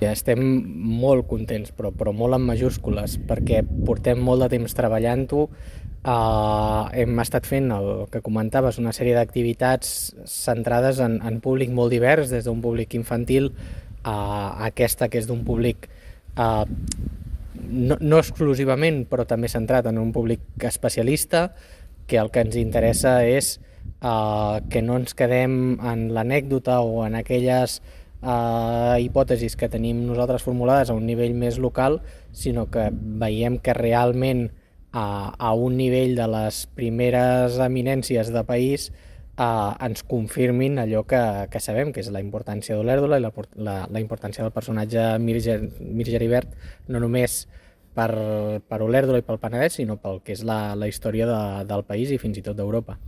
Estem molt contents, però molt en majúscules, perquè portem molt de temps treballant-ho. Hem estat fent el que comentaves, una sèrie d'activitats centrades en públic molt divers, des d'un públic infantil a aquesta que és d'un públic no exclusivament, però també centrat en un públic especialista, que el que ens interessa és que no ens quedem en l'anècdota o en aquelles hipòtesis que tenim nosaltres formulades a un nivell més local, sinó que veiem que realment a un nivell de les primeres eminències de país ens confirmin allò que sabem, que és la importància d'Olèrdola i la importància del personatge Mir Geribert, no només per Olèrdola i pel Penedès, sinó pel que és la història del país i fins i tot d'Europa.